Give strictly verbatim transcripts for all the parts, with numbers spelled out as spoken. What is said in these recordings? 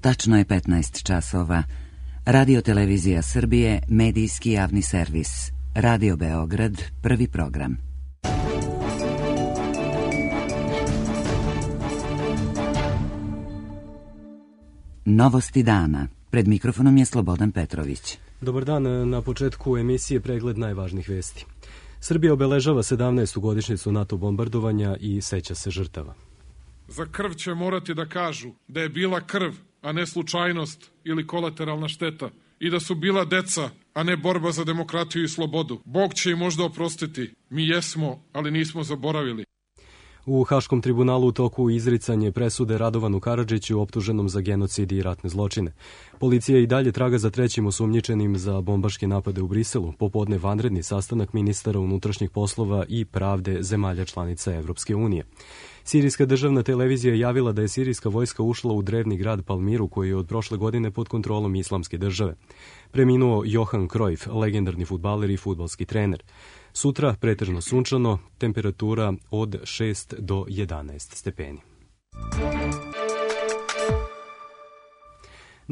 Tačno je petnaest časova. Radio Televizija Srbije, medijski javni servis. Radio Beograd, prvi program. Novosti dana. Pred mikrofonom je Slobodan Petrović. Dobar dan, na početku emisije pregled najvažnijih vesti. Srbija obeležava sedamnaestu godišnjicu NATO bombardovanja i seća se žrtava. Za krv će morati da kažu da je bila krv, a ne slučajnost ili kolateralna šteta, i da su bila deca, a ne borba za demokratiju i slobodu. Bog će im možda oprostiti. Mi jesmo, ali nismo zaboravili. U Haškom tribunalu u toku izricanje presude Radovanu Karadžiću optuženom za genocid i ratne zločine. Policija i dalje traga za trećim osumnjičenim za bombaške napade u Briselu, popodne vanredni sastanak ministara unutrašnjih poslova i pravde zemalja članica Evropske unije. Sirijska državna televizija je javila da je sirijska vojska ušla u drevni grad Palmiru, koji je od prošle godine pod kontrolom Islamske države. Preminuo Johan Cruyff, legendarni fudbaler i fudbalski trener. Sutra pretežno sunčano, temperatura od šest do jedanaest stepeni.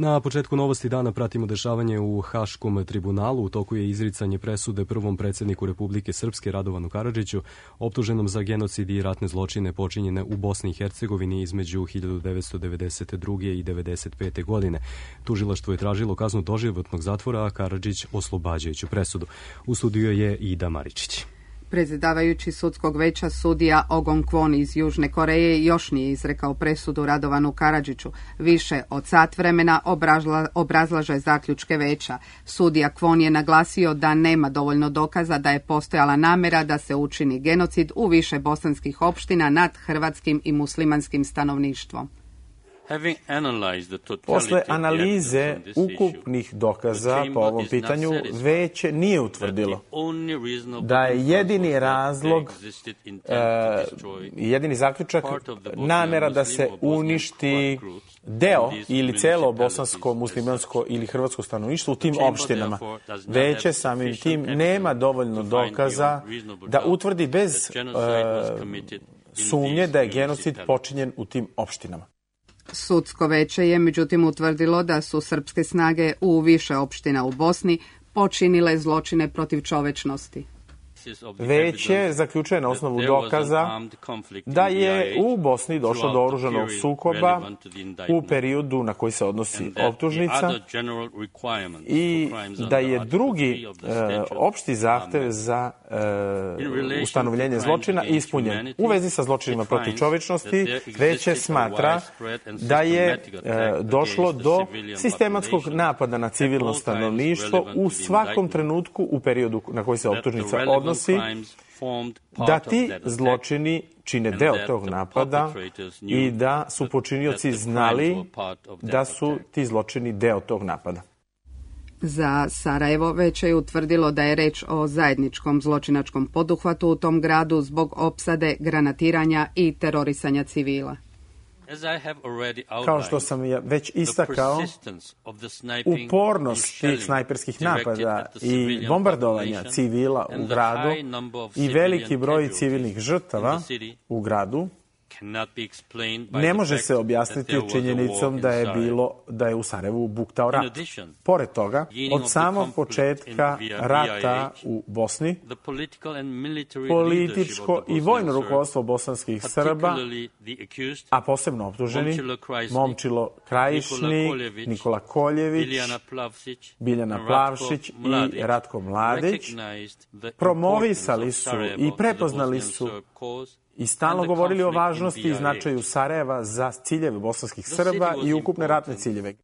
Na početku novosti dana pratimo dešavanje u Haškom tribunalu. U toku je izricanje presude prvom predsjedniku Republike Srpske Radovanu Karadžiću, optuženom za genocid i ratne zločine počinjene u Bosni i Hercegovini između hiljadu devetsto devedeset druge i devedeset pete godine. Tužilaštvo je tražilo kaznu doživotnog zatvora, a Karadžić oslobađajuću presudu. U studiju je Ida Maričić. Predsjedavajući sudskog veća sudija Ogon Kwon iz Južne Koreje još nije izrekao presudu Radovanu Karadžiću. Više od sat vremena obrazla, obrazlaže zaključke veća. Sudija Kwon je naglasio da nema dovoljno dokaza da je postojala namjera da se učini genocid u više bosanskih opština nad hrvatskim i muslimanskim stanovništvom. Posle analize ukupnih dokaza po ovom pitanju, veće nije utvrdilo da je jedini razlog, e, jedini zaključak namjera da se uništi deo ili celo bosansko, muslimansko ili hrvatsko stanovništvo u tim opštinama. Veće samim tim nema dovoljno dokaza da utvrdi bez e, sumnje da je genocid počinjen u tim opštinama. Sudsko veće je međutim utvrdilo da su srpske snage u više opština u Bosni počinile zločine protiv čovečnosti. Veće zaključuje na osnovu dokaza da je u Bosni došlo do oružanog sukoba u periodu na koji se odnosi optužnica i da je drugi e, opšti zahtev za e, ustanovljenje zločina ispunjen. U vezi sa zločinima protiv čovečnosti veće smatra da je e, došlo do sistematskog napada na civilno stanovništvo u svakom trenutku u periodu na koji se optužnica odnosi, da ti zločini čine deo tog napada i da su počinioci znali da su ti zločini deo tog napada. Za Sarajevo veće je utvrdilo da je reč o zajedničkom zločinačkom poduhvatu u tom gradu zbog opsade, granatiranja i terorisanja civila. Kao što sam već istakao, upornost tih snajperskih napada i bombardovanja civila u gradu i veliki broj civilnih žrtava u gradu ne može se objasniti činjenicom da je bilo da je u Sarajevu buktao rat. Pored toga, od samog početka rata u Bosni, političko i vojno rukovodstvo bosanskih Srba, a posebno optuženi Momčilo Krajišnik, Nikola Koljević, Biljana Plavšić i Ratko Mladić, promovisali su i prepoznali su i stalno govorili o važnosti i značaju Sarajeva za ciljeve bosanskih Srba i ukupne ratne ciljeve.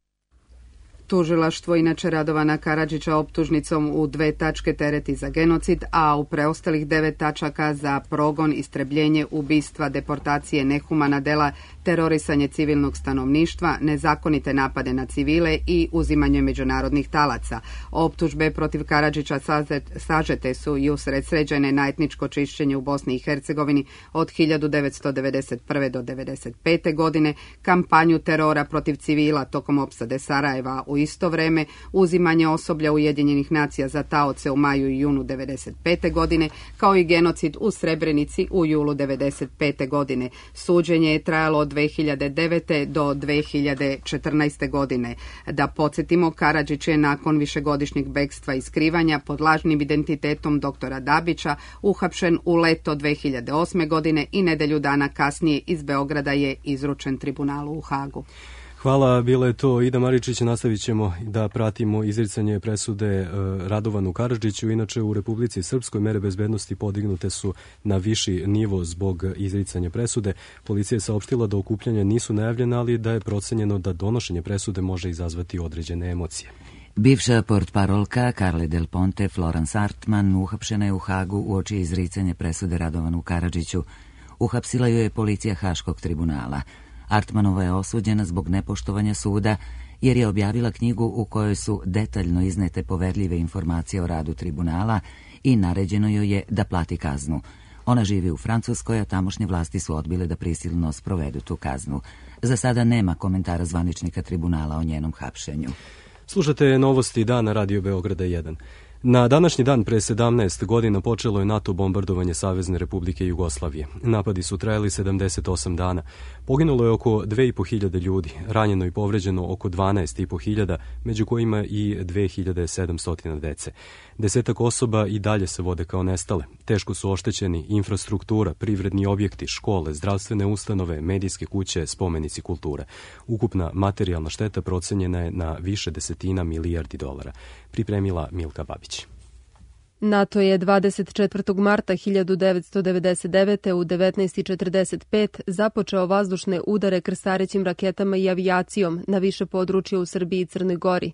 Tužilaštvo inače Radovana Karadžića optužnicom u dve tačke tereti za genocid, a u preostalih devet tačaka za progon, istrebljenje, ubistva, deportacije, nehumana dela, terorisanje civilnog stanovništva, nezakonite napade na civile i uzimanje međunarodnih talaca. Optužbe protiv Karadžića sažete su i usredsređene na etničko čišćenje u Bosni i Hercegovini od hiljadu devetsto devedeset prve do devedeset pete godine, kampanju terora protiv civila tokom opsade Sarajeva u U isto vreme, uzimanje osoblja Ujedinjenih nacija za taoce u maju i junu devedeset pete godine, kao i genocid u Srebrenici u julu devedeset pete godine. Suđenje je trajalo od dve hiljade devete do dve hiljade četrnaeste godine. Da podsjetimo, Karadžić je nakon višegodišnjeg bekstva i skrivanja pod lažnim identitetom doktora Dabića uhapšen u leto dve hiljade osme godine i nedelju dana kasnije iz Beograda je izručen tribunalu u Hagu. Hvala, bila je to Ida Maričić. Nastavit ćemo da pratimo izricanje presude Radovanu Karadžiću. Inače, u Republici Srpskoj mere bezbednosti podignute su na viši nivo zbog izricanja presude. Policija je saopštila da okupljanja nisu najavljena, ali da je procenjeno da donošenje presude može izazvati određene emocije. Bivša portparolka Carle Del Ponte, Florence Artman, uhapšena je u Hagu uoči izricanja presude Radovanu Karadžiću. Uhapsila ju je policija Haškog tribunala. Artmanova je osuđena zbog nepoštovanja suda jer je objavila knjigu u kojoj su detaljno iznete poverljive informacije o radu tribunala i naređeno joj je da plati kaznu. Ona živi u Francuskoj, a tamošnje vlasti su odbile da prisilno sprovedu tu kaznu. Za sada nema komentara zvaničnika tribunala o njenom hapšenju. Slušate novosti dana Radio Beograda jedan. Na današnji dan pre sedamnaest godina počelo je NATO bombardovanje Savezne Republike Jugoslavije. Napadi su trajali sedamdeset osam dana. Poginulo je oko dve i po hiljade ljudi, ranjeno i povređeno oko dvanaest i po hiljada, među kojima i dve hiljade sedamsto dece. Desetak osoba i dalje se vode kao nestale. Teško su oštećeni infrastruktura, privredni objekti, škole, zdravstvene ustanove, medijske kuće, spomenici kulture. Ukupna materijalna šteta procenjena je na više desetina milijardi dolara. Pripremila Milka Babić. NATO je dvadeset četvrtog marta hiljadu devetsto devedeset devete u devetnaest i četrdeset pet započeo vazdušne udare krstarećim raketama i avijacijom na više područja u Srbiji i Crnoj Gori.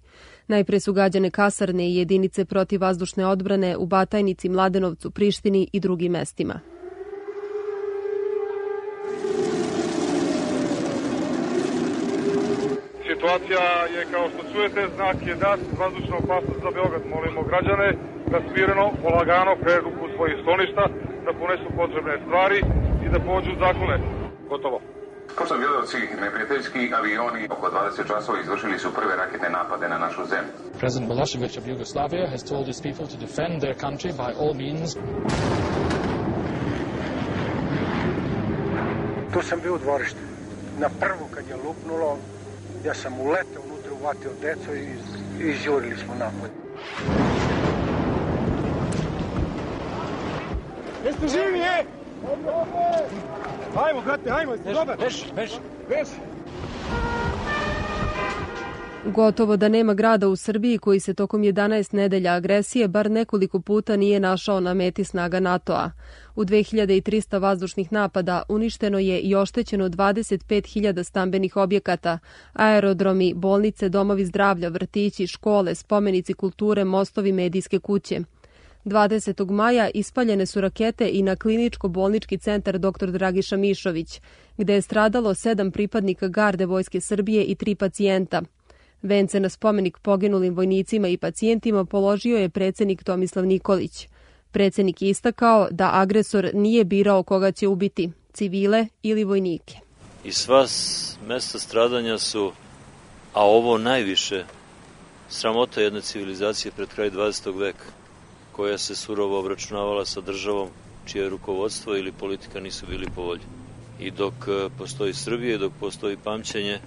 Najpre su gađane kasarne i jedinice protivvazdušne odbrane u Batajnici, Mladenovcu, Prištini i drugim mestima. Situacija je, kao što čujete, znak je dat, vazdušna opasnost za Beograd. Molimo građane da smireno, polagano pređu u svojih skloništa, da ponesu potrebne stvari i da pođu zakone. Gotovo. Pošto gledalci, neprijateljski avioni oko dvadeset časova izvršili su prve raketne napade na našu zemlju. President Milošević of Yugoslavia has told his people to defend their country by all means. Tu sam bio u dvorištu. Na prvu kad je lupnulo, ja sam uletao unutra, uvatio deco i izjurili smo napolje. Jeste živi, je? Hajmo, brate, hajmo, jeste dobar? Beši, beši. Beši. Gotovo da nema grada u Srbiji koji se tokom jedanaest nedelja agresije bar nekoliko puta nije našao na meti snaga NATO-a. U dve hiljade trista vazdušnih napada uništeno je i oštećeno dvadeset pet hiljada stambenih objekata, aerodromi, bolnice, domovi zdravlja, vrtići, škole, spomenici kulture, mostovi, medijske kuće. dvadesetog maja ispaljene su rakete i na kliničko-bolnički centar doktor Dragiša Mišović, gde je stradalo sedam pripadnika garde Vojske Srbije i tri pacijenta. Vence na spomenik poginulim vojnicima i pacijentima položio je predsjednik Tomislav Nikolić. Predsjednik je istakao da agresor nije birao koga će ubiti, civile ili vojnike. I sva mesta stradanja su, a ovo najviše, sramota jedne civilizacije pred kraj dvadesetog veka, koja se surovo obračunavala sa državom čije rukovodstvo ili politika nisu bili po volji. I dok postoji Srbija i dok postoji pamćenje,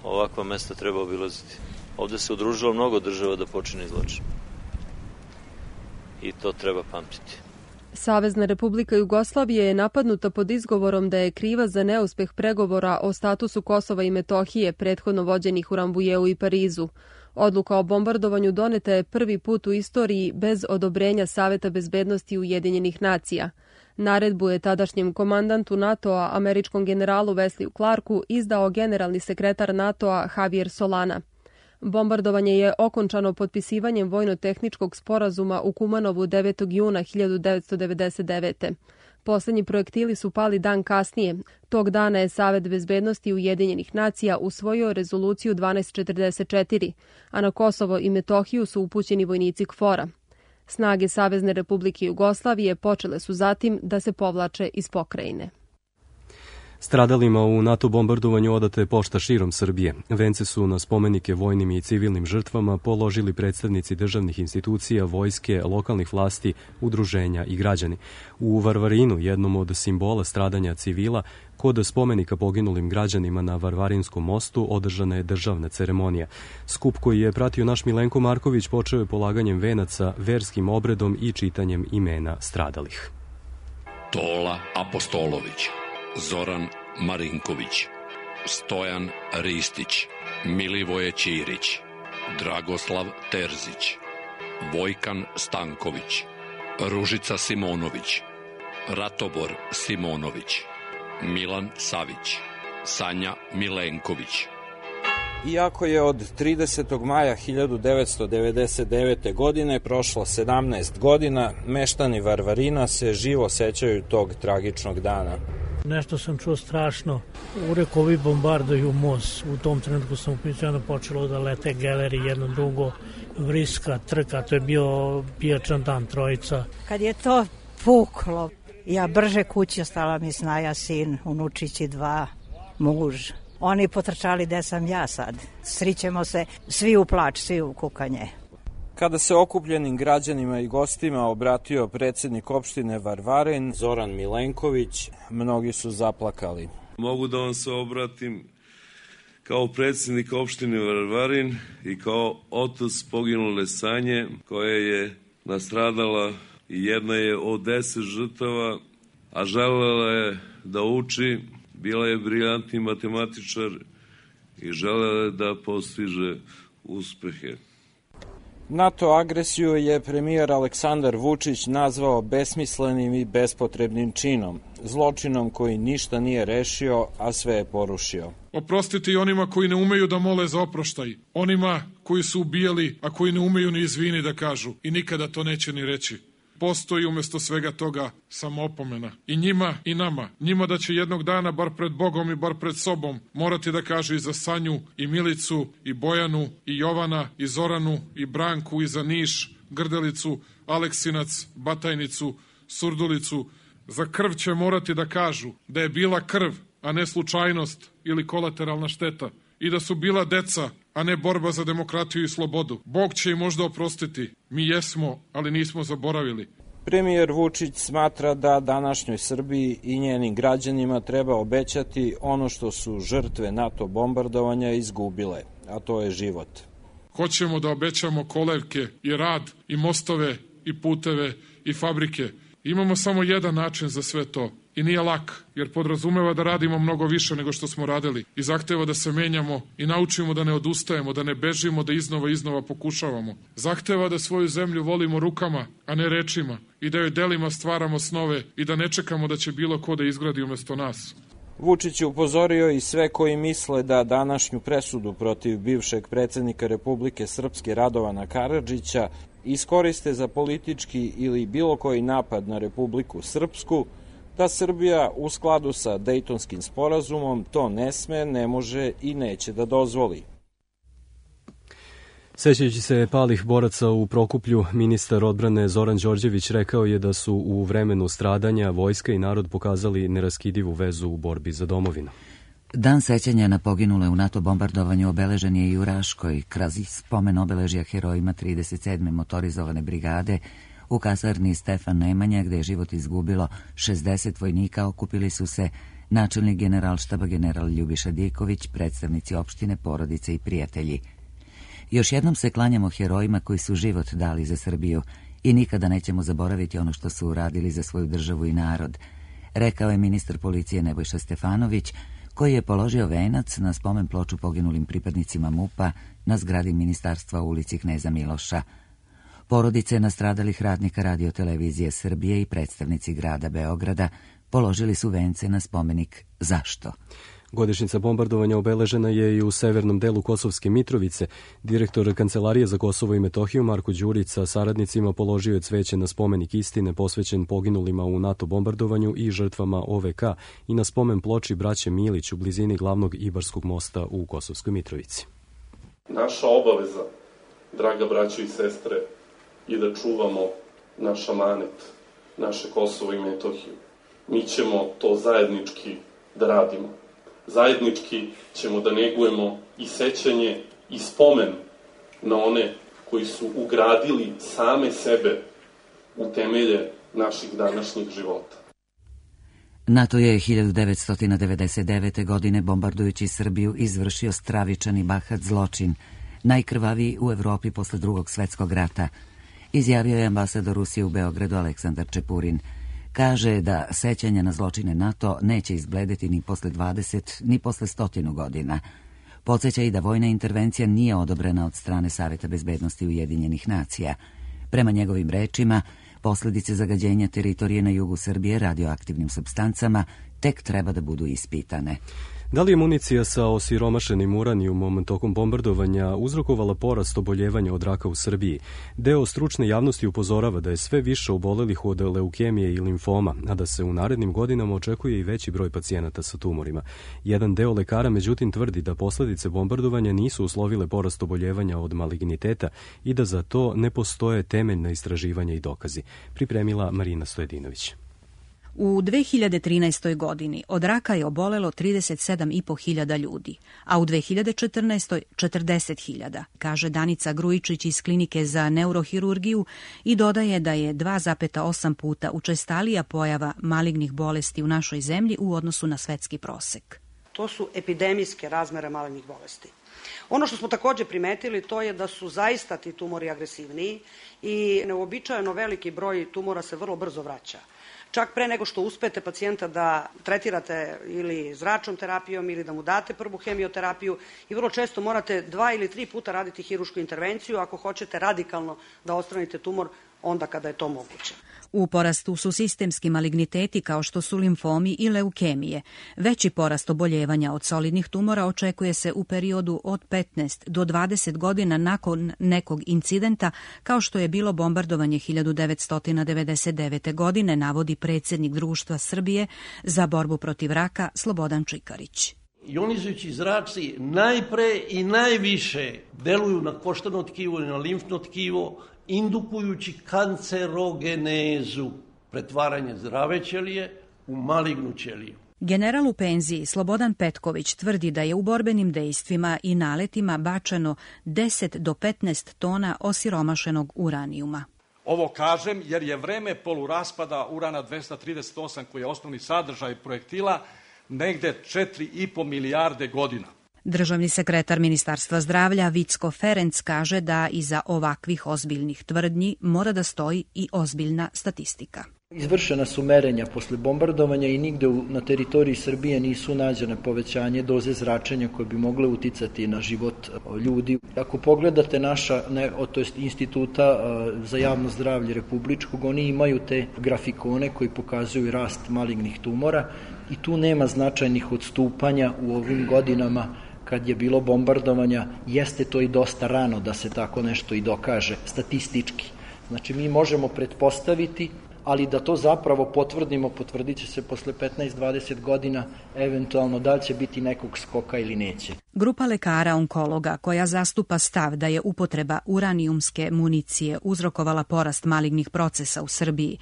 ovakva mesta treba obilaziti. Ovde se udružilo mnogo država da počine zločin. I to treba pamtiti. Savezna Republika Jugoslavije je napadnuta pod izgovorom da je kriva za neuspeh pregovora o statusu Kosova i Metohije prethodno vođenih u Rambujeu i Parizu. Odluka o bombardovanju doneta je prvi put u istoriji bez odobrenja Saveta bezbednosti Ujedinjenih nacija. Naredbu je tadašnjem komandantu NATO-a, američkom generalu Wesley Clarku, izdao generalni sekretar NATO-a Javier Solana. Bombardovanje je okončano potpisivanjem vojno-tehničkog sporazuma u Kumanovu devetog juna hiljadu devetsto devedeset devete. Poslednji projektili su pali dan kasnije. Tog dana je Savet bezbednosti Ujedinjenih nacija usvojio rezoluciju dvanaest četrdeset četiri, a na Kosovo i Metohiju su upućeni vojnici KFOR-a. Snage Savezne Republike Jugoslavije počele su zatim da se povlače iz pokrajine. Stradalima u NATO bombardovanju odata je pošta širom Srbije. Vence su na spomenike vojnim i civilnim žrtvama položili predstavnici državnih institucija, vojske, lokalnih vlasti, udruženja i građani. U Varvarinu, jednom od simbola stradanja civila, kod spomenika poginulim građanima na Varvarinskom mostu održana je državna ceremonija. Skup koji je pratio naš Milenko Marković počeo je polaganjem venaca, verskim obredom i čitanjem imena stradalih. Tola Apostolović, Zoran Marinković, Stojan Ristić, Milivoje Ćirić, Dragoslav Terzić, Vojkan Stanković, Ružica Simonović, Ratobor Simonović, Milan Savić, Sanja Milenković. Iako je od tridesetog maja hiljadu devetsto devedeset devete. godine prošlo sedamnaest godina, meštani Varvarina se živo sećaju tog tragičnog dana. Nešto sam čuo strašno. Ureko, ovi bombarduju most. U tom trenutku sam upićano počelo da lete geleri, jedno drugo, vriska, trka. To je bio pijačan dan, trojica. Kad je to puklo, ja brže kući, ostala mi snaja sin, unučići dva, muž. Oni potrčali gde sam ja sad. Srićemo se svi u plač, svi u kukanje. Kada se okupljenim građanima i gostima obratio predsjednik opštine Varvarin, Zoran Milenković, mnogi su zaplakali. Mogu da vam se obratim kao predsjednik opštine Varvarin i kao otac poginule Sanje, koja je nastradala i jedna je od deset žrtava, a želela je da uči. Bila je briljantni matematičar i želela je da postiže uspehe. NATO agresiju je premijer Aleksandar Vučić nazvao besmislenim i bespotrebnim činom, zločinom koji ništa nije rešio, a sve je porušio. Oprostite i onima koji ne umeju da mole za oproštaj, onima koji su ubijali, a koji ne umeju ni izvini da kažu i nikada to neće ni reći. Postoji umjesto svega toga samo opomena. I njima i nama. Njima da će jednog dana, bar pred Bogom i bar pred sobom, morati da kaže i za Sanju, i Milicu, i Bojanu, i Jovana, i Zoranu, i Branku, i za Niš, Grdelicu, Aleksinac, Batajnicu, Surdulicu. Za krv će morati da kažu da je bila krv, a ne slučajnost ili kolateralna šteta. I da su bila deca, a ne borba za demokratiju i slobodu. Bog će im možda oprostiti. Mi jesmo, ali nismo zaboravili. Premijer Vučić smatra da današnjoj Srbiji i njenim građanima treba obećati ono što su žrtve NATO bombardovanja izgubile, a to je život. Hoćemo da obećamo kolevke i rad i mostove i puteve i fabrike. Imamo samo jedan način za sve to. I nije lak, jer podrazumeva da radimo mnogo više nego što smo radili i zahteva da se menjamo i naučimo da ne odustajemo, da ne bežimo, da iznova iznova pokušavamo. Zahteva da svoju zemlju volimo rukama, a ne rečima i da joj delima stvaramo snove i da ne čekamo da će bilo ko da izgradi umesto nas. Vučić je upozorio i sve koji misle da današnju presudu protiv bivšeg predsjednika Republike Srpske Radovana Karadžića iskoriste za politički ili bilo koji napad na Republiku Srpsku, da Srbija u skladu sa Dejtonskim sporazumom to ne sme, ne može i neće da dozvoli. Sećajući se palih boraca u Prokuplju, ministar odbrane Zoran Đorđević rekao je da su u vremenu stradanja vojska i narod pokazali neraskidivu vezu u borbi za domovinu. Dan sećanja na poginule u NATO bombardovanju obeležen je i u Raškoj, kroz spomen obeležja herojima trideset sedme motorizovane brigade. U kasarni Stefan Nemanja, gde je život izgubilo šezdeset vojnika, okupili su se načelnik generalštaba general Ljubiša Diković, predstavnici opštine, porodice i prijatelji. Još jednom se klanjamo herojima koji su život dali za Srbiju i nikada nećemo zaboraviti ono što su uradili za svoju državu i narod, rekao je ministar policije Nebojša Stefanović, koji je položio venac na spomen ploču poginulim pripadnicima MUP-a na zgradi ministarstva u ulici Kneza Miloša. Porodice nastradalih radnika Radio-televizije Srbije i predstavnici grada Beograda položili su vence na spomenik Zašto? Godišnjica bombardovanja obeležena je i u severnom delu Kosovske Mitrovice. Direktor Kancelarije za Kosovo i Metohiju Marko Đurić sa saradnicima položio je cveće na spomenik istine posvećen poginulima u NATO bombardovanju i žrtvama O V K i na spomen ploči braće Milić u blizini glavnog Ibarskog mosta u Kosovskoj Mitrovici. Naša obaveza, draga braćo i sestre, je da čuvamo naš amanet, naše Kosovo i Metohiju. Mi ćemo to zajednički da radimo. Zajednički ćemo da negujemo i sećanje i spomen na one koji su ugradili same sebe u temelje naših današnjih života. NATO je hiljadu devetsto devedeset devete. godine bombardujući Srbiju izvršio stravičan i bahat zločin, najkrvaviji u Evropi posle drugog svetskog rata, izjavio je ambasador Rusije u Beogradu Aleksandar Čepurin. Kaže da sećanje na zločine NATO neće izbledeti ni posle dvadeset, ni posle stotinu godina. Podseća i da vojna intervencija nije odobrena od strane Saveta bezbednosti Ujedinjenih nacija. Prema njegovim rečima, posledice zagađenja teritorije na jugu Srbije radioaktivnim supstancama tek treba da budu ispitane. Da li je municija sa osiromašenim uranijumom tokom bombardovanja uzrokovala porast oboljevanja od raka u Srbiji? Deo stručne javnosti upozorava da je sve više obolelih od leukemije i limfoma, a da se u narednim godinama očekuje i veći broj pacijenata sa tumorima. Jedan deo lekara međutim tvrdi da posledice bombardovanja nisu uslovile porast oboljevanja od maligniteta i da za to ne postoje temeljna istraživanja i dokazi. Pripremila Marina Stojedinović. U dve hiljade trinaestoj. godini od raka je obolelo trideset sedam i po hiljada ljudi, a u dve hiljade četrnaestoj. četrdeset hiljada, kaže Danica Grujičić iz Klinike za neurohirurgiju i dodaje da je dva zarez osam puta učestalija pojava malignih bolesti u našoj zemlji u odnosu na svetski prosek. To su epidemijske razmere malignih bolesti. Ono što smo takođe primetili to je da su zaista ti tumori agresivniji i neuobičajeno veliki broj tumora se vrlo brzo vraća. Čak pre nego što uspete pacijenta da tretirate ili zračnom terapijom ili da mu date prvu hemioterapiju i vrlo često morate dva ili tri puta raditi hirušku intervenciju ako hoćete radikalno da odstranite tumor onda kada je to moguće. U porastu su sistemski maligniteti kao što su limfomi i leukemije. Veći porast oboljevanja od solidnih tumora očekuje se u periodu od petnaest do dvadeset godina nakon nekog incidenta kao što je bilo bombardovanje hiljadu devetsto devedeset devete. godine, navodi predsjednik Društva Srbije za borbu protiv raka Slobodan Čikarić. Ionizujući zraci najpre i najviše deluju na koštano tkivo i na limfno tkivo, indukujući kancerogenezu, pretvaranje zdrave ćelije u malignu ćeliju. General u penziji Slobodan Petković tvrdi da je u borbenim dejstvima i naletima bačeno deset do petnaest tona osiromašenog uranijuma. Ovo kažem jer je vreme poluraspada urana dvesta trideset osam, koji je osnovni sadržaj projektila, negde četiri i po milijarde godina. Državni sekretar Ministarstva zdravlja Vicko Ferenc kaže da iza ovakvih ozbiljnih tvrdnji mora da stoji i ozbiljna statistika. Izvršena su merenja posle bombardovanja i nigde na teritoriji Srbije nisu nađene povećanje doze zračenja koje bi mogle uticati na život ljudi. Ako pogledate naša, ne, to jest Instituta za javno zdravlje republičkog, oni imaju te grafikone koji pokazuju rast malignih tumora i tu nema značajnih odstupanja u ovim godinama kad je bilo bombardovanja. Jeste to i dosta rano da se tako nešto i dokaže statistički. Znači mi možemo pretpostaviti, ali da to zapravo potvrdimo, potvrdit će se posle petnaest do dvadeset godina, eventualno da li će biti nekog skoka ili neće. Grupa lekara onkologa koja zastupa stav da je upotreba uranijumske municije uzrokovala porast malignih procesa u Srbiji,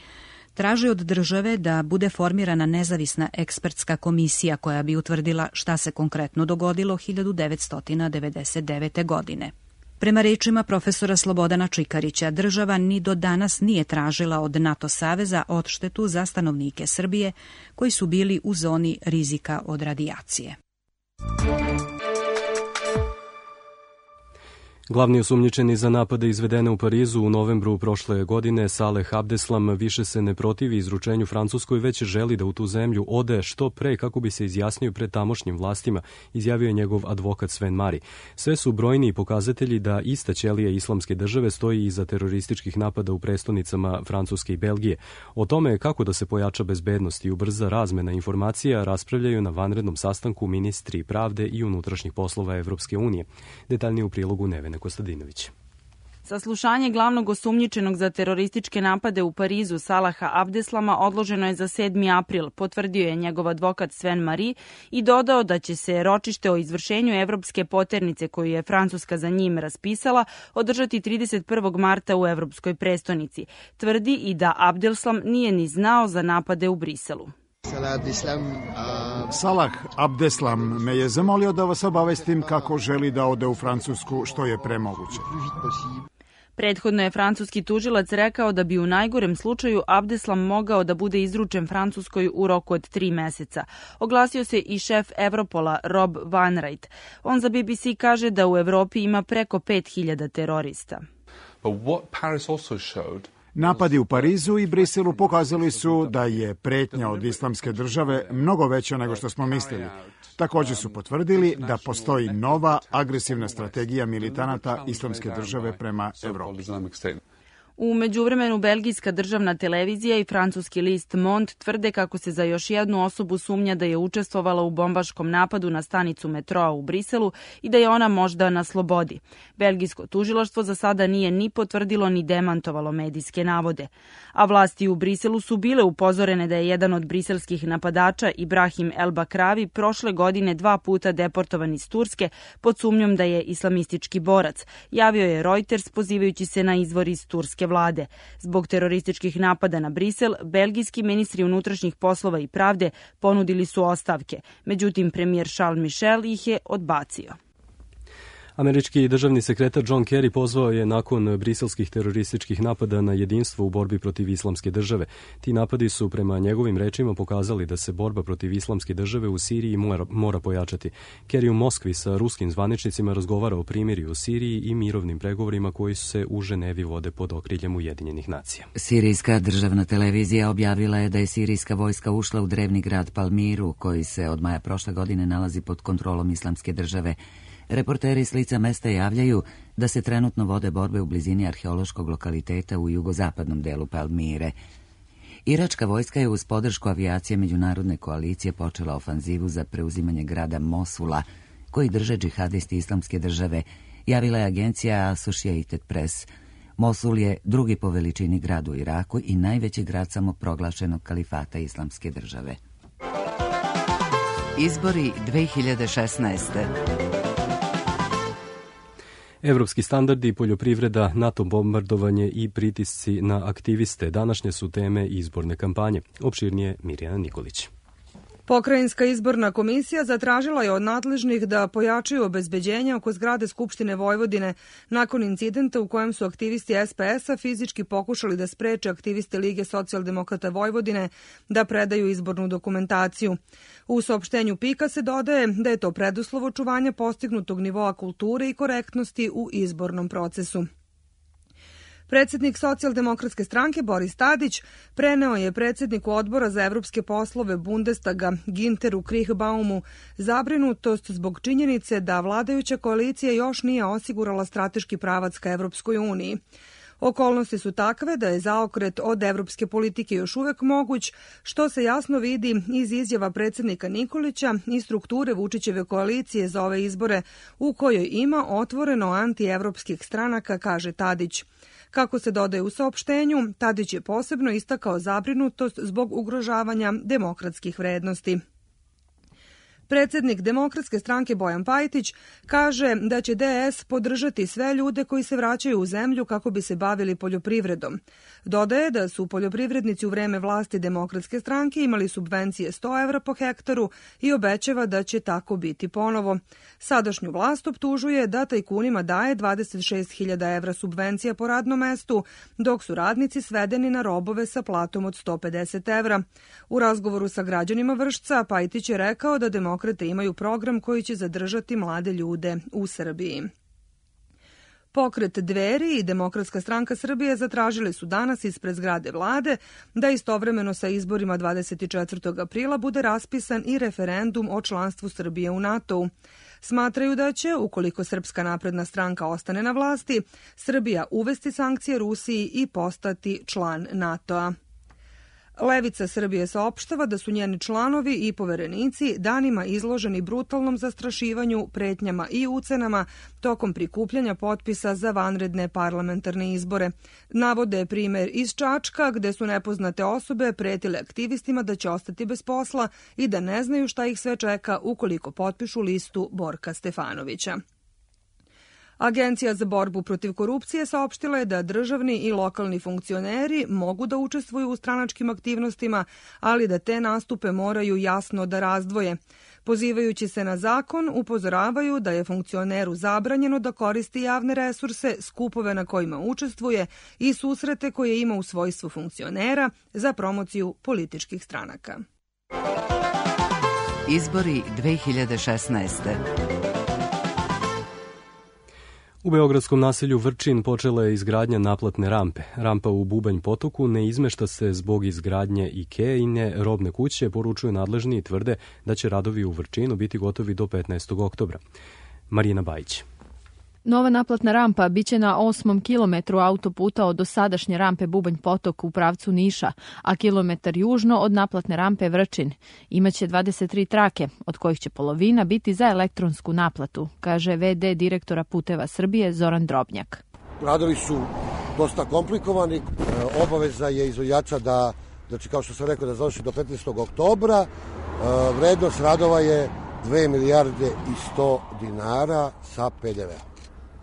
traži od države da bude formirana nezavisna ekspertska komisija koja bi utvrdila šta se konkretno dogodilo hiljadu devetsto devedeset devete. godine. Prema rečima profesora Slobodana Čikarića, država ni do danas nije tražila od NATO saveza odštetu za stanovnike Srbije koji su bili u zoni rizika od radijacije. Glavni osumnjičeni za napade izvedene u Parizu u novembru prošle godine, Saleh Abdeslam, više se ne protivi izručenju Francuskoj, već želi da u tu zemlju ode što pre kako bi se izjasnio pred tamošnjim vlastima, izjavio je njegov advokat Sven Mari. Sve su brojniji pokazatelji da ista ćelija islamske države stoji iza terorističkih napada u prestonicama Francuske i Belgije. O tome kako da se pojača bezbednost i ubrza razmena informacija raspravljaju na vanrednom sastanku ministri pravde i unutrašnjih poslova Evropske unije. Detaljnije u prilogu Nevene Kostadinović. Saslušanje glavnog osumnjičenog za terorističke napade u Parizu Salaha Abdeslama odloženo je za sedmi april, potvrdio je njegov advokat Sven Mari i dodao da će se ročište o izvršenju evropske poternice koju je Francuska za njim raspisala održati trideset prvog marta u evropskoj prestonici. Tvrdi i da Abdeslam nije ni znao za napade u Briselu. Salah Abdeslam a Salah Abdeslam me je zamolio da vas obavestim kako želi da ode u Francusku što je pre moguće. Prethodno je francuski tužilac rekao da bi u najgorem slučaju Abdeslam mogao da bude izručen Francuskoj u roku od tri meseca. Oglasio se i šef Evropola Rob Wainwright. On za B B C kaže da u Evropi ima preko pet hiljada terorista. Napadi u Parizu i Briselu pokazali su da je pretnja od islamske države mnogo veća nego što smo mislili. Također su potvrdili da postoji nova agresivna strategija militanata islamske države prema Evropi. U međuvremenu belgijska državna televizija i francuski list Monde tvrde kako se za još jednu osobu sumnja da je učestvovala u bombaškom napadu na stanicu metroa u Briselu i da je ona možda na slobodi. Belgijsko tužilaštvo za sada nije ni potvrdilo ni demantovalo medijske navode. A vlasti u Briselu su bile upozorene da je jedan od briselskih napadača, Ibrahim El Bakravi, prošle godine dva puta deportovan iz Turske pod sumnjom da je islamistički borac. Javio je Reuters pozivajući se na izvor iz turske vlade. Zbog terorističkih napada na Brisel, belgijski ministri unutrašnjih poslova i pravde ponudili su ostavke. Međutim, premijer Charles Michel ih je odbacio. Američki državni sekretar John Kerry pozvao je nakon briselskih terorističkih napada na jedinstvo u borbi protiv islamske države. Ti napadi su prema njegovim rečima pokazali da se borba protiv islamske države u Siriji mora, mora pojačati. Kerry u Moskvi sa ruskim zvaničnicima razgovara o primirju u Siriji i mirovnim pregovorima koji se u Ženevi vode pod okriljem Ujedinjenih nacija. Sirijska državna televizija objavila je da je sirijska vojska ušla u drevni grad Palmiru, koji se od maja prošle godine nalazi pod kontrolom islamske države. Reporteri s lica mesta javljaju da se trenutno vode borbe u blizini arheološkog lokaliteta u jugozapadnom delu Palmire. Iračka vojska je uz podršku avijacije međunarodne koalicije počela ofanzivu za preuzimanje grada Mosula, koji drže džihadisti islamske države, javila je agencija Associated Press. Mosul je drugi po veličini grad u Iraku i najveći grad samoproglašenog kalifata islamske države. Izbori dve hiljade šesnaeste. Evropski standardi, poljoprivreda, NATO bombardovanje i pritisci na aktiviste današnje su teme izborne kampanje. Opširnije Mirjana Nikolić. Pokrajinska izborna komisija zatražila je od nadležnih da pojačaju obezbeđenje oko zgrade Skupštine Vojvodine nakon incidenta u kojem su aktivisti S P S-a fizički pokušali da spreče aktiviste Lige socijaldemokrata Vojvodine da predaju izbornu dokumentaciju. U saopštenju Pika se dodaje da je to preduslov očuvanja postignutog nivoa kulture i korektnosti u izbornom procesu. Predsjednik socijaldemokratske stranke Boris Tadić preneo je predsjedniku odbora za evropske poslove Bundestaga Ginteru Kriehbaumu zabrinutost zbog činjenice da vladajuća koalicija još nije osigurala strateški pravac ka Evropskoj uniji. Okolnosti su takve da je zaokret od evropske politike još uvek moguć, što se jasno vidi iz izjava predsjednika Nikolića i strukture Vučićeve koalicije za ove izbore, u kojoj ima otvoreno antievropskih stranaka, kaže Tadić. Kako se dodaje u saopštenju, Tadić je posebno istakao zabrinutost zbog ugrožavanja demokratskih vrednosti. Predsjednik Demokratske stranke Bojan Pajtić kaže da će D S podržati sve ljude koji se vraćaju u zemlju kako bi se bavili poljoprivredom. Dodaje da su poljoprivrednici u vreme vlasti Demokratske stranke imali subvencije sto evra po hektaru i obećava da će tako biti ponovo. Sadašnju vlast optužuje da tajkunima daje dvadeset šest hiljada evra subvencija po radnom mestu, dok su radnici svedeni na robove sa platom od sto pedeset evra. U razgovoru sa građanima Vršca, Pajtić je rekao da Demokratske Demokrate imaju program koji će zadržati mlade ljude u Srbiji. Pokret Dveri i Demokratska stranka Srbije zatražili su danas ispred zgrade vlade da istovremeno sa izborima dvadeset četvrtog aprila bude raspisan i referendum o članstvu Srbije u NATO-u. Smatraju da će, ukoliko Srpska napredna stranka ostane na vlasti, Srbija uvesti sankcije Rusiji i postati član NATO-a. Levica Srbije saopštava da su njeni članovi i poverenici danima izloženi brutalnom zastrašivanju, pretnjama i ucenama tokom prikupljanja potpisa za vanredne parlamentarne izbore. Navode primer iz Čačka gde su nepoznate osobe pretile aktivistima da će ostati bez posla i da ne znaju šta ih sve čeka ukoliko potpišu listu Borka Stefanovića. Agencija za borbu protiv korupcije saopštila je da državni i lokalni funkcioneri mogu da učestvuju u stranačkim aktivnostima, ali da te nastupe moraju jasno da razdvoje. Pozivajući se na zakon, upozoravaju da je funkcioneru zabranjeno da koristi javne resurse, skupove na kojima učestvuje i susrete koje ima u svojstvu funkcionera za promociju političkih stranaka. Izbori dve hiljade šesnaeste. U beogradskom naselju Vrčin počela je izgradnja naplatne rampe. Rampa u Bubanj potoku ne izmešta se zbog izgradnje Ikeine robne kuće, poručuju nadležni i tvrde da će radovi u Vrčinu biti gotovi do petnaestog oktobra. Marina Bajić. Nova naplatna rampa biće na osmom kilometru autoputa od dosadašnje rampe Bubanj potok u pravcu Niša, a kilometar južno od naplatne rampe Vrčin. Imaće dvadeset tri trake, od kojih će polovina biti za elektronsku naplatu, kaže ve de direktora Puteva Srbije Zoran Drobnjak. Radovi su dosta komplikovani, obaveza je izvođača da, znači kao što sam rekao, da završi do petnaestog oktobra. Vrednost radova je dve milijarde i sto dinara sa pe de ve.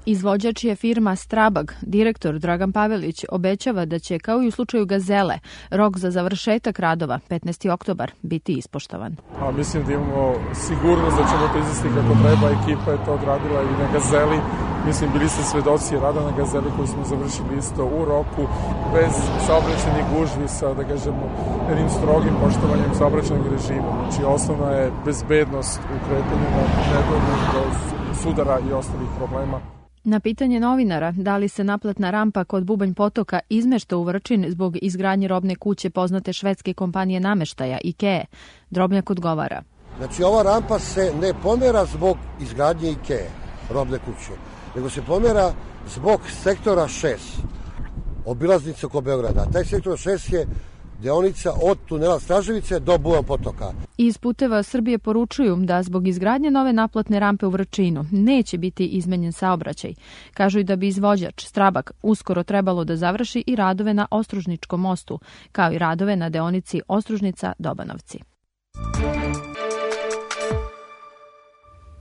Izvođač je firma Strabag. Direktor Dragan Pavelić obećava da će, kao i u slučaju Gazele, rok za završetak radova, petnaesti oktobar, biti ispoštovan. A mislim da imamo sigurnost da ćemo to izvesti kako treba. Ekipa je to odradila i na Gazeli. Mislim, bili ste svedoci rada na Gazeli koji smo završili isto u roku, bez saobraćajnih gužvi, sa, da kažemo, jednim strogim poštovanjem saobraćajnog režima. Znači, osnovna je bezbednost u kretanju na nedovoljno do sudara i ostalih problema. Na pitanje novinara da li se naplatna rampa kod Bubanj potoka izmešta u Vrčin zbog izgradnje robne kuće poznate švedske kompanije nameštaja Ikee, Drobnjak odgovara. Znači ova rampa se ne pomera zbog izgradnje Ikee, robne kuće, nego se pomera zbog sektora šest, obilaznice oko Beograda. Taj sektor šest je deonica od tunela Straževice do Bubanj potoka. Iz Puteva Srbije poručuju da zbog izgradnje nove naplatne rampe u Vrčinu neće biti izmenjen saobraćaj. Kažu i da bi izvođač Strabag uskoro trebalo da završi i radove na Ostružničkom mostu, kao i radove na deonici Ostružnica-Dobanovci.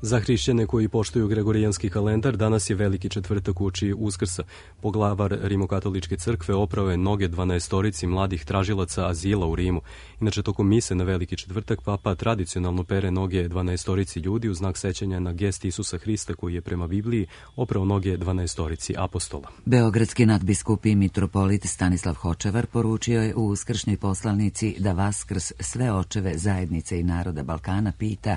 Za hrišćane koji poštuju gregorijanski kalendar, danas je veliki četvrtak uoči Uskrsa. Poglavar Rimokatoličke crkve oprao je noge dvanaestorici mladih tražilaca azila u Rimu. Inače, tokom mise na veliki četvrtak papa tradicionalno pere noge dvanaestorici ljudi u znak sećanja na gest Isusa Hrista koji je prema Bibliji oprao noge dvanaestorici apostola. Beogradski nadbiskup i mitropolit Stanislav Hočevar poručio je u uskršnjoj poslanici da Vaskrs sve očeve zajednice i naroda Balkana pita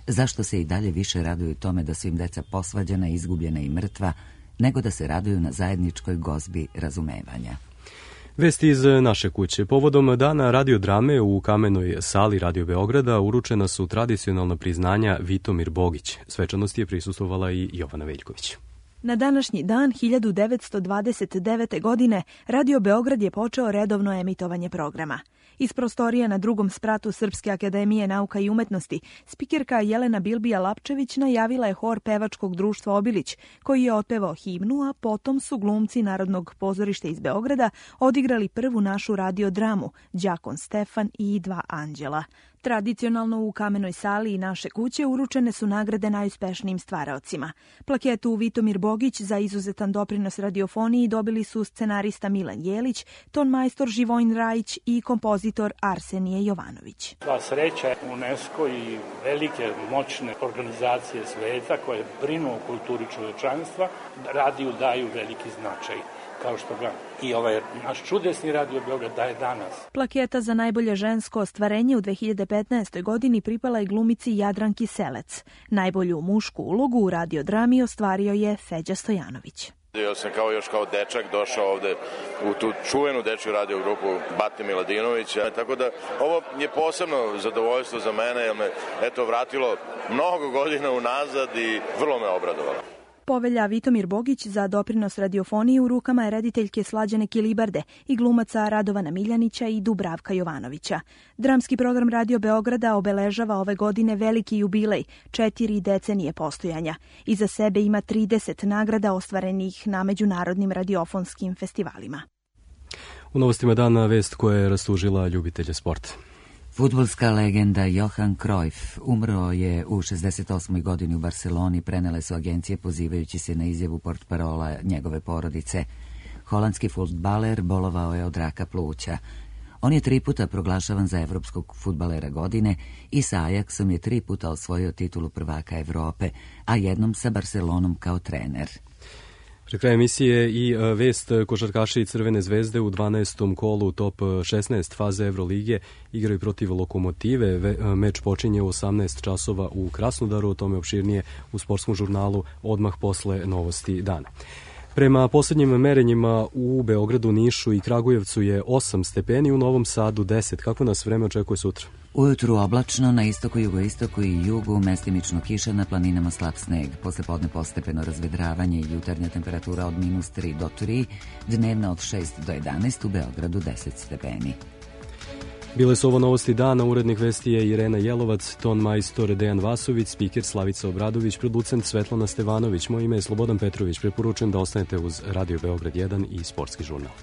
zašto se i dalje više raduju tome da su im deca posvađana, izgubljena i mrtva, nego da se raduju na zajedničkoj gozbi razumevanja. Vesti iz naše kuće. Povodom dana radiodrame u Kamenoj sali Radio Beograda uručena su tradicionalna priznanja Vitomir Bogić. Svečanosti je prisustvovala i Jovana Veljković. Na današnji dan hiljadu devetsto dvadeset devete. godine Radio Beograd je počeo redovno emitovanje programa. Iz prostorija na drugom spratu Srpske akademije nauka i umetnosti, spikerka Jelena Bilbija-Lapčević najavila je hor pevačkog društva Obilić, koji je otpevao himnu, a potom su glumci Narodnog pozorišta iz Beograda odigrali prvu našu radiodramu, Đakon Stefan i Dva anđela. Tradicionalno u Kamenoj sali i naše kuće uručene su nagrade najuspešnijim stvaraocima. Plaketu Vitomir Bogić za izuzetan doprinos radiofoniji dobili su scenarista Milan Jelić, tonmajstor Živojin Rajić i kompozitor Arsenije Jovanović. Sva sreća UNESCO i velike moćne organizacije sveta koje brinu o kulturi čovečanstva radiju daju veliki značaj, kao što ga i ovaj naš čudesni Radio Beograd daje danas. Plaketa za najbolje žensko ostvarenje u dve hiljade petnaestoj. godini pripala je glumici Jadranki Selec. Najbolju mušku ulogu u radiodrami ostvario je Feđa Stojanović. Ja sam kao još kao dečak došao ovde u tu čuvenu dečju radio grupu Bate Miladinovića, tako da ovo je posebno zadovoljstvo za mene, jer me eto vratilo mnogo godina unazad i vrlo me obradovalo. Povelja Vitomir Bogić za doprinos radiofoniji u rukama je rediteljke Slađane Kilibarde i glumaca Radovana Miljanića i Dubravka Jovanovića. Dramski program Radio Beograda obeležava ove godine veliki jubilej, četiri decenije postojanja. Iza sebe ima trideset nagrada ostvarenih na međunarodnim radiofonskim festivalima. U novostima dana vest koja je rastužila ljubitelje sporta. Fudbalska legenda Johan Cruyff umro je u šezdeset osmoj godini u Barceloni, prenele su agencije pozivajući se na izjavu portparola njegove porodice. Holandski fudbaler bolovao je od raka pluća. On je tri puta proglašavan za evropskog fudbalera godine i sa Ajaxom je tri puta osvojio titulu prvaka Evrope, a jednom sa Barcelonom kao trener. Pre kraja emisije i vest, košarkaši Crvene zvezde u dvanaestom kolu top šesnaest faze Evrolige igraju protiv Lokomotive. Meč počinje u osamnaest časova u Krasnodaru, o tome opširnije u sportskom žurnalu odmah posle novosti dana. Prema poslednjim merenjima u Beogradu, Nišu i Kragujevcu je osam stepeni, u Novom Sadu deset. Kako nas vreme očekuje sutra? Ujutru oblačno, na istoku, jugoistoku i jugu mestimično kiša, na planinama slab sneg. Posle podne postepeno razvedravanje i jutarnja temperatura od minus tri do tri, dnevna od šest do jedanaest, u Beogradu deset stepeni. Bile su ovo novosti dana, urednik vesti je Irena Jelovac, ton majstor Dejan Vasović, spiker Slavica Obradović, producent Svetlana Stevanović. Moje ime je Slobodan Petrović, preporučujem da ostanete uz Radio Beograd jedan i Sportski žurnal.